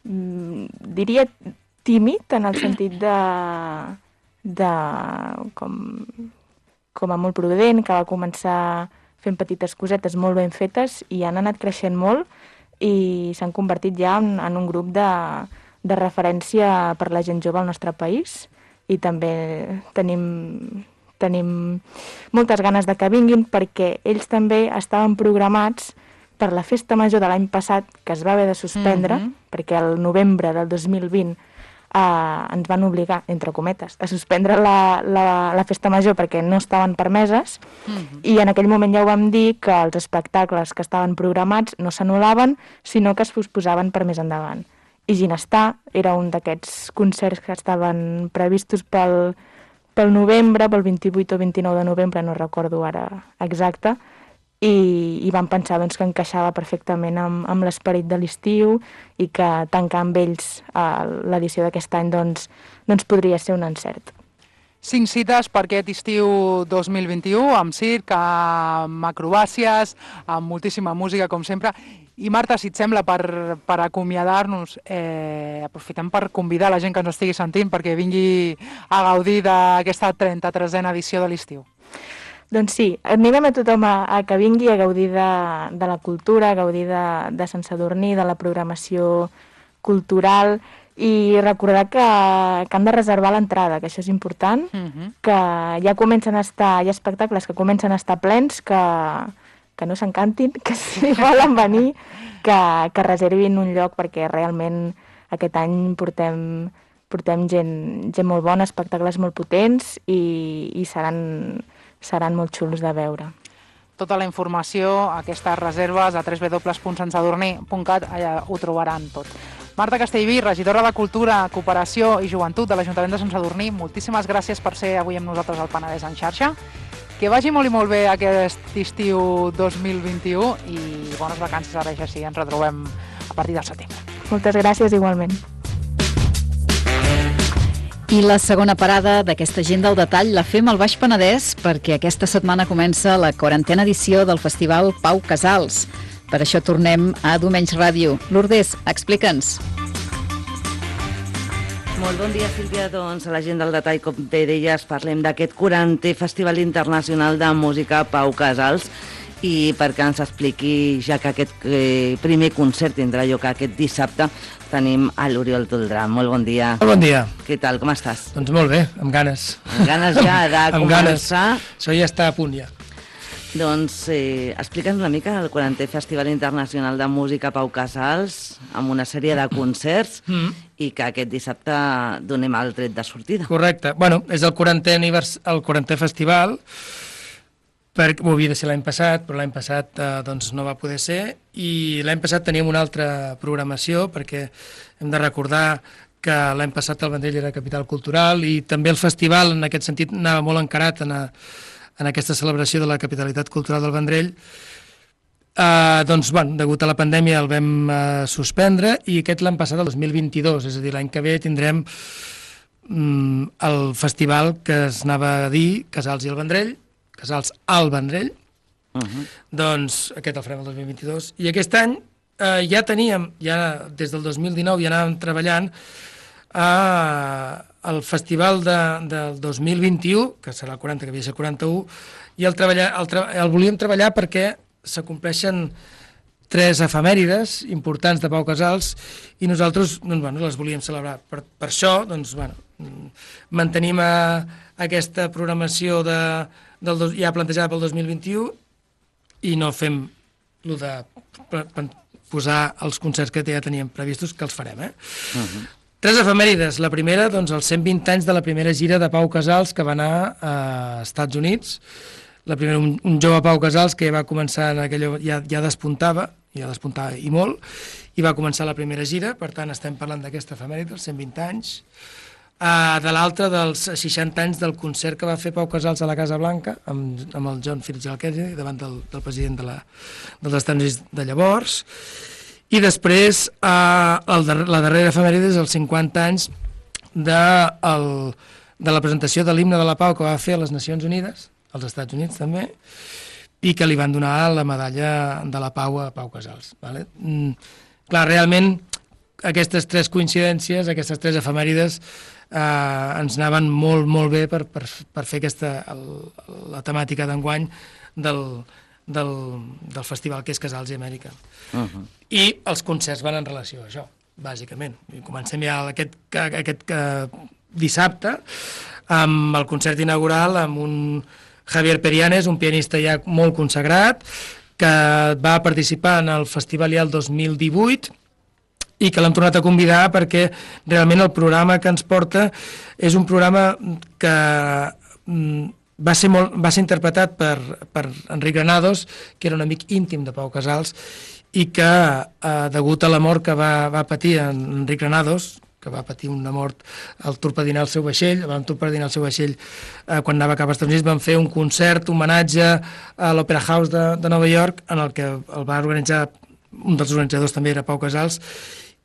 diria, tímid, en el sentit de com a molt prudent, que va començar fent petites cosetes molt ben fetes i han anat creixent molt i s'han convertit ja en un grup de referència per la gent jove al nostre país, i també tenim moltes ganes de que vinguin, perquè ells també estaven programats per la festa major de l'any passat, que es va haver de suspendre, perquè el novembre del 2020 ens van obligar, entre cometes, a suspendre la festa major perquè no estaven permeses, i en aquell moment ja ho vam dir, que els espectacles que estaven programats no s'anul·laven, sinó que es posposaven per més endavant. I Ginestar era un d'aquests concerts que estaven previstos pel novembre, pel 28 o 29 de novembre, no recordo ara exacte, i vam pensar que encaixava perfectament amb l'esperit de l'estiu, i que tancar amb ells l'edició d'aquest any doncs podria ser un encert. 5 cites per aquest estiu 2021, amb circ, amb acrobàcies, amb moltíssima música, com sempre. I Marta, si et sembla, per acomiadar-nos, aprofitem per convidar la gent que ens estigui sentint perquè vingui a gaudir d'aquesta 33a edició de l'estiu. Doncs sí, animem a tothom a que vingui a gaudir de la cultura, a gaudir de Sant Sadurní, de la programació cultural, i recordar que han de reservar l'entrada, que això és important, que ja comencen a estar, hi ha espectacles que comencen a estar plens, que no s'encantin, que si volen venir, que reservin un lloc, perquè realment aquest any portem portem gent molt bona, espectacles molt potents i seran molt xulos de veure. Tota la informació, aquestes reserves a www.santsadurní.cat, allà ho trobaran tot. Marta Castellví, regidora de Cultura, Cooperació i Joventut de l'Ajuntament de Sant Sadurní, moltíssimes gràcies per ser avui amb nosaltres al Penedès en xarxa. Que vagi molt i molt bé aquest estiu 2021 i bones vacances ara ja sí, ens retrobem a partir del setembre. Moltes gràcies igualment. I la segona parada d'aquesta agenda al detall la fem al Baix Penedès perquè aquesta setmana comença la 40a edició del Festival Pau Casals. Per això tornem a Domenys Ràdio. Lourdes, explica'ns. Molt bon dia, Sílvia. Doncs a l'agenda al detall, com bé deies, parlem d'aquest 40è Festival Internacional de Música Pau Casals i perquè ens expliqui ja que aquest primer concert tindrà lloc aquest dissabte, tenim a l'Oriol Toldrà. Molt bon dia. Molt bon dia. Què tal, com estàs? Doncs molt bé, amb ganes. Amb ganes ja de començar. Això ja està a punt, ja. Doncs explica'ns una mica el 40è Festival Internacional de Música Pau Casals amb una sèrie de concerts i que aquest dissabte donem el tret de sortida. Correcte. Bueno, és el 40è festival, ho havia de ser l'any passat, però l'any passat doncs no va poder ser, i l'any passat teníem una altra programació, perquè hem de recordar que l'any passat el Vendrell era capital cultural i també el festival en aquest sentit anava molt encarat en aquesta celebració de la capitalitat cultural del Vendrell. Doncs, bueno, degut a la pandèmia el vam suspendre i aquest l'any passat, el 2022, és a dir, l'any que ve tindrem el festival que es anava a dir Casals i el Vendrell, Casals al Vendrell, doncs aquest el farem el 2022, i aquest any ja teníem, des del 2019 ja anàvem treballant el festival del 2021, que serà el 40, que havia de ser el 41, i el volíem treballar perquè s'acompleixen 3 efemèrides importants de Pau Casals i nosaltres doncs, bueno, les volíem celebrar. Per això doncs, bueno, mantenim aquesta programació ja plantejada pel 2021 i no fem el de posar els concerts que ja teníem previstos, que els farem. 3 efemèrides. La primera, doncs, els 120 anys de la primera gira de Pau Casals que va anar a Estats Units. La primera, un jove Pau Casals que va començar en aquella... ja despuntava i molt, i va començar la primera gira, per tant estem parlant d'aquesta efemèride, els 120 anys. De l'altra, dels 60 anys del concert que va fer Pau Casals a la Casa Blanca, amb el John Fitzgerald Kennedy, davant del president dels Estats Units de llavors. I després, la darrera efemèride és els 50 anys de la presentació de l'himne de la Pau que va fer a les Nacions Unides, als Estats Units també, i que li van donar la medalla de la Pau a Pau Casals. Vale? Clar, realment, aquestes 3 coincidències, aquestes 3 efemèrides, ens anaven molt, molt bé per fer la temàtica d'enguany del festival que és Casals i Amèrica. I els concerts van en relació a això, bàsicament. I comencem ja aquest dissabte amb el concert inaugural amb un Javier Perianes, un pianista ja molt consagrat, que va participar en el festival ja el 2018 i que l'hem tornat a convidar perquè realment el programa que ens porta és un programa que va ser interpretat per Enric Granados, que era un amic íntim de Pau Casals, i que, degut a la mort que va patir Enric Granados, que va patir una mort al torpedinar el seu vaixell, quan anava cap als Estats Units, van fer un concert, homenatge a l'Opera House de Nova York, en el que el va organitzar, un dels organitzadors també era Pau Casals,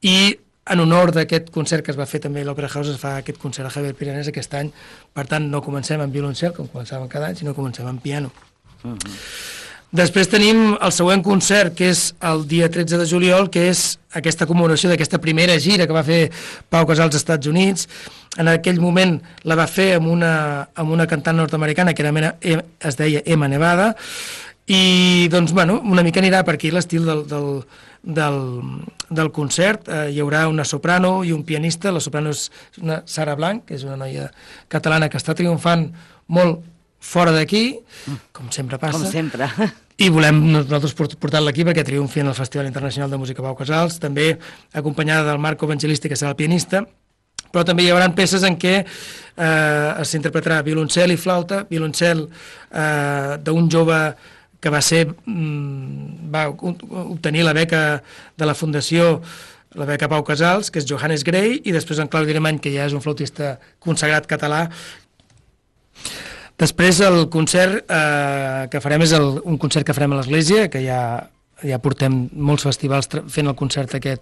i en honor d'aquest concert que es va fer també a l'Opera House es fa aquest concert a Javier Perianes aquest any. Per tant, no comencem amb violoncel, com començàvem cada any, sinó comencem amb piano. Després tenim el següent concert, que és el dia 13 de juliol, que és aquesta commemoració d'aquesta primera gira que va fer Pau Casals als Estats Units. En aquell moment la va fer amb una cantant nord-americana que es deia Emma Nevada, i doncs, bueno, una mica anirà per aquí l'estil del concert. Hi haurà una soprano i un pianista. La soprano és una Sara Blanc, que és una noia catalana que està triomfant molt fora d'aquí, com sempre passa. Com sempre. I volem nosaltres portar-la aquí perquè triomfi en el Festival Internacional de Música Pau Casals, també acompanyada del Marco Evangelisti, que serà el pianista, però també hi haurà peces en què s'interpretarà violoncel i flauta, violoncel d'un jove que va obtenir la beca de la Fundació, la beca Pau Casals, que és Johannes Grey, i després en Claudi Alemany, que ja és un flautista consagrat català. Després el concert que farem és un concert que farem a l'església, que ja portem molts festivals fent el concert aquest,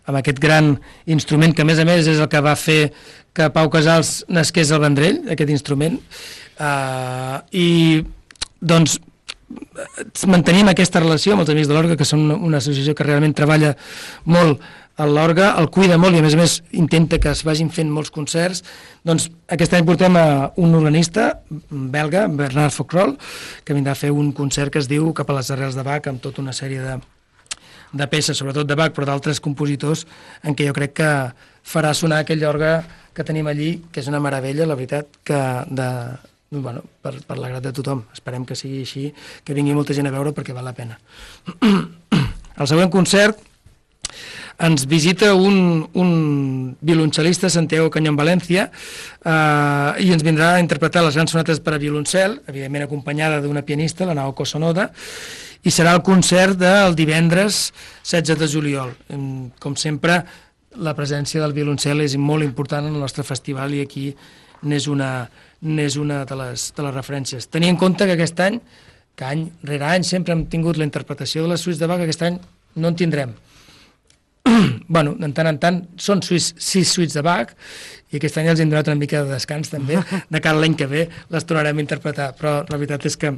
amb aquest gran instrument, que a més és el que va fer que Pau Casals nasqués al Vendrell, aquest instrument. I doncs mantenim aquesta relació amb els Amics de l'Orgue, que són una associació que realment treballa molt a l'orgue, el cuida molt i a més intenta que es vagin fent molts concerts. Doncs aquest any portem a un organista belga, Bernard Focrol, que vindrà a fer un concert que es diu Cap a les arrels de Bach, amb tota una sèrie de peces, sobretot de Bach, però d'altres compositors, en què jo crec que farà sonar aquell orgue que tenim allí, que és una meravella, la veritat, per l'agrat de tothom. Esperem que sigui així, que vingui molta gent a veure perquè val la pena. El següent concert ens visita un violoncel·lista, Santiago Cañón Valencia, i ens vindrà a interpretar les grans sonates per a violoncel, evidentment acompanyada d'una pianista, la Naoko Sonoda, i serà el concert del divendres 16 de juliol. Com sempre, la presència del violoncel és molt important en el nostre festival i aquí n'és una de les referències. Tenir en compte que aquest any, que any rere any sempre hem tingut la interpretació de les suites de Bach, aquest any no en tindrem. Bueno, de tant en tant són 6 suites de Bach i aquest any els hem donat una mica de descans també, de cara a l'any que ve les tornarem a interpretar, però la veritat és que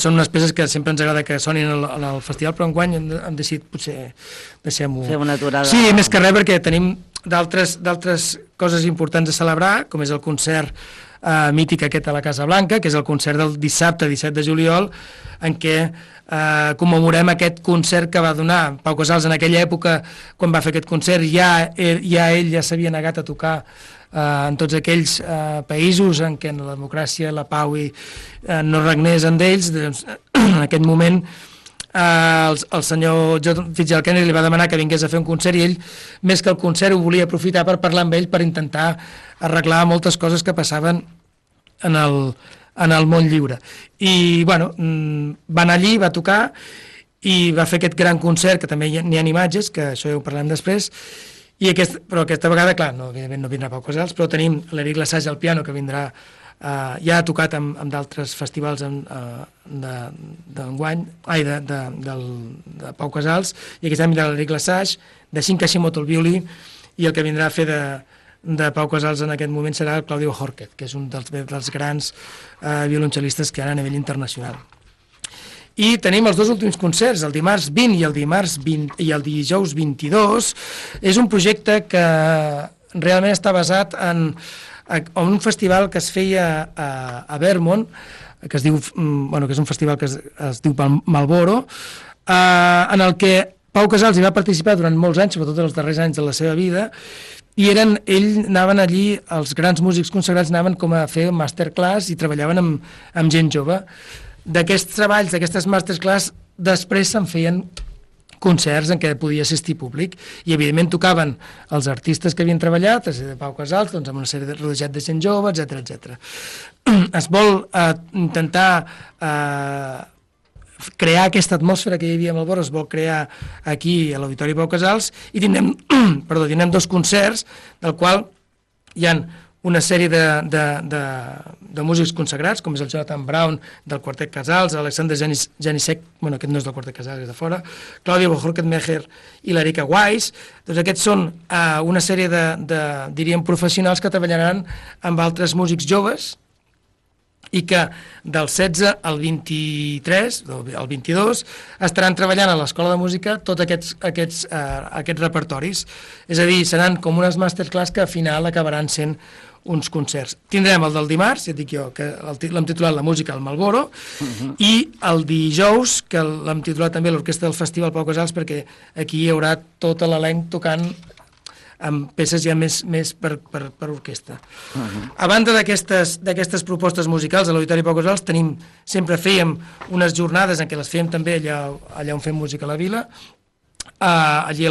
són unes peces que sempre ens agrada que sonin al festival, però enguany hem decidit potser deixem-ho... Fer una aturada... Sí, més que res perquè tenim d'altres coses importants a celebrar, com és el concert mític aquest a la Casa Blanca, que és el concert del dissabte 17 de juliol, en què commemorem aquest concert que va donar Pau Casals en aquella època. Quan va fer aquest concert ell ja s'havia negat a tocar en tots aquells països en què la democràcia, la pau no regnés en d'ells. Doncs, en aquest moment el senyor John Fitzgerald Kennedy li va demanar que vingués a fer un concert i ell, més que el concert, ho volia aprofitar per parlar amb ell, per intentar arreglar moltes coses que passaven en el món lliure. I, bueno, va anar allí, va tocar i va fer aquest gran concert, que també n'hi ha imatges, que això ja ho parlem després, però aquesta vegada, clar, evidentment no vindrà Pau Casals, però tenim l'Eric Lesage al piano, que vindrà, ja ha tocat amb d'altres festivals d'enguany, de Pau Casals, i aquest any vindrà l'Eric Lesage, de Shin Kashimoto al violí, i el que vindrà a fer de Pau Casals en aquest moment serà el Claudio Jorquez, que és un dels grans violoncel·listes que hi ha a nivell internacional. I tenim els dos últims concerts, el dimarts 20 i el dijous 22. És un projecte que realment està basat en un festival que es feia a Vermont, que és un festival que es diu Marlboro, en el que Pau Casals hi va participar durant molts anys, sobretot els darrers anys de la seva vida, i anaven allí, els grans músics consagrats anaven com a fer masterclass i treballaven amb gent jove. D'aquests treballs, d'aquestes masterclass, després se'n feien concerts en què podia assistir públic i evidentment tocaven els artistes que havien treballat, de Pau Casals, doncs amb una sèrie rodejat de gent jove, etc. Es vol intentar crear aquesta atmosfera que hi havia a Marlboro, es vol crear aquí a l'Auditori Pau Casals i tindrem dos concerts del qual hi ha una sèrie de músics consagrats, com és el Jonathan Brown del Quartet Casals, Alexander Janicek, aquest no és del Quartet Casals, és de fora, Claudia Bohorket-Mecher i l'Erika Weiss. Doncs aquests són una sèrie diríem, professionals que treballaran amb altres músics joves i que del 16 al 23, al 22, estaran treballant a l'Escola de Música tots aquests repertoris. És a dir, seran com unes masterclass que al final acabaran sent uns concerts. Tindrem el del dimarts, ja et dic jo, que l'hem titulat La música al Marlboro, i el dijous, que l'hem titulat també l'Orquestra del Festival Pau Casals, perquè aquí hi haurà tot l'elenc tocant amb peces ja més per orquestra. A banda d'aquestes propostes musicals a l'Auditori Pau Casals, sempre fèiem unes jornades en què les fèiem també allà on fem música a la vila, allí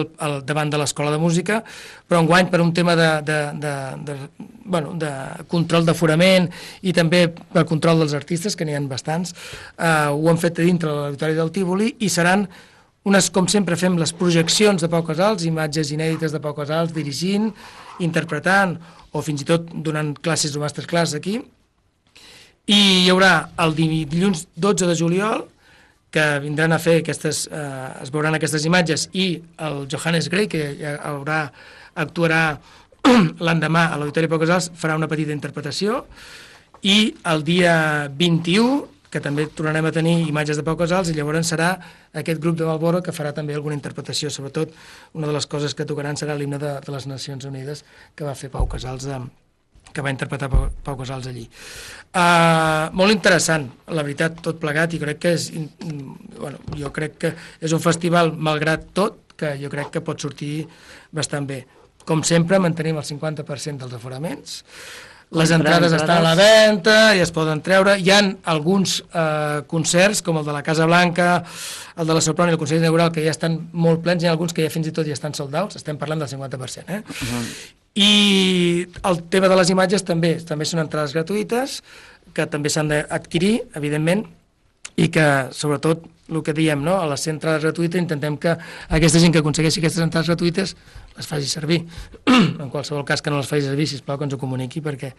davant de l'Escola de Música, però enguany per un tema de control d'aforament i també per control dels artistes, que n'hi ha bastants, ho han fet a dintre de l'Auditori del Tívoli i seran com sempre fem les projeccions de Pau Casals, imatges inèdites de Pau Casals dirigint, interpretant o fins i tot donant classes o masterclass aquí. I hi haurà el dilluns 12 de juliol que vindran a fer es veuran aquestes imatges, i el Johannes Grey, que actuarà l'endemà a l'Auditori Pau Casals, farà una petita interpretació, i el dia 21, que també tornarem a tenir imatges de Pau Casals, i llavors serà aquest grup de Malboro que farà també alguna interpretació. Sobretot, una de les coses que tocaran serà l'himne de les Nacions Unides que va fer Pau Casals, que va interpretar Pau Casals allí. Molt interessant, la veritat, tot plegat, i crec que jo crec que és un festival, malgrat tot, que jo crec que pot sortir bastant bé. Com sempre, mantenim el 50% dels aforaments. Les entrades estan a la venda i es poden treure. Hi ha alguns concerts, com el de la Casa Blanca, el de la Soprano i el Consell Inaugural, que ja estan molt plens, i hi ha alguns que ja fins i tot ja estan sold out, estem parlant del 50%. I el tema de les imatges també són entrades gratuïtes, que també s'han d'adquirir, evidentment, i que, sobretot, el que diem, no? A les entrades gratuïtes intentem que aquesta gent que aconsegueixi aquestes entrades gratuïtes les faci servir. En qualsevol cas que no les faci servir, sisplau, que ens ho comuniqui, perquè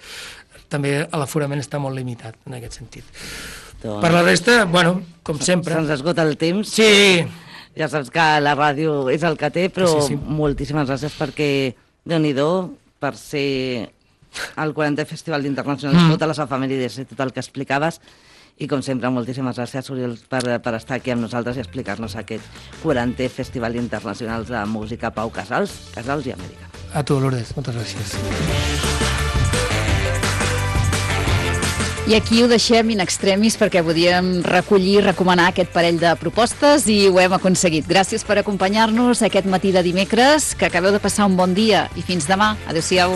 també l'aforament està molt limitat en aquest sentit. Per la resta, com sempre... Se'ns esgota el temps. Sí! Ja saps que la ràdio és el que té, però moltíssimes gràcies perquè, Déu-n'hi-do, per ser el 40è Festival d'Internacional, totes les efemèrides i tot el que explicaves. I, com sempre, moltíssimes gràcies, Oriol, per estar aquí amb nosaltres i explicar-nos aquest 40è Festival Internacional de Música Pau Casals i Amèrica. A tu, Lourdes, moltes gràcies. I aquí ho deixem in extremis perquè podíem recollir i recomanar aquest parell de propostes i ho hem aconseguit. Gràcies per acompanyar-nos aquest matí de dimecres, que acabeu de passar un bon dia i fins demà. Adéu-siau.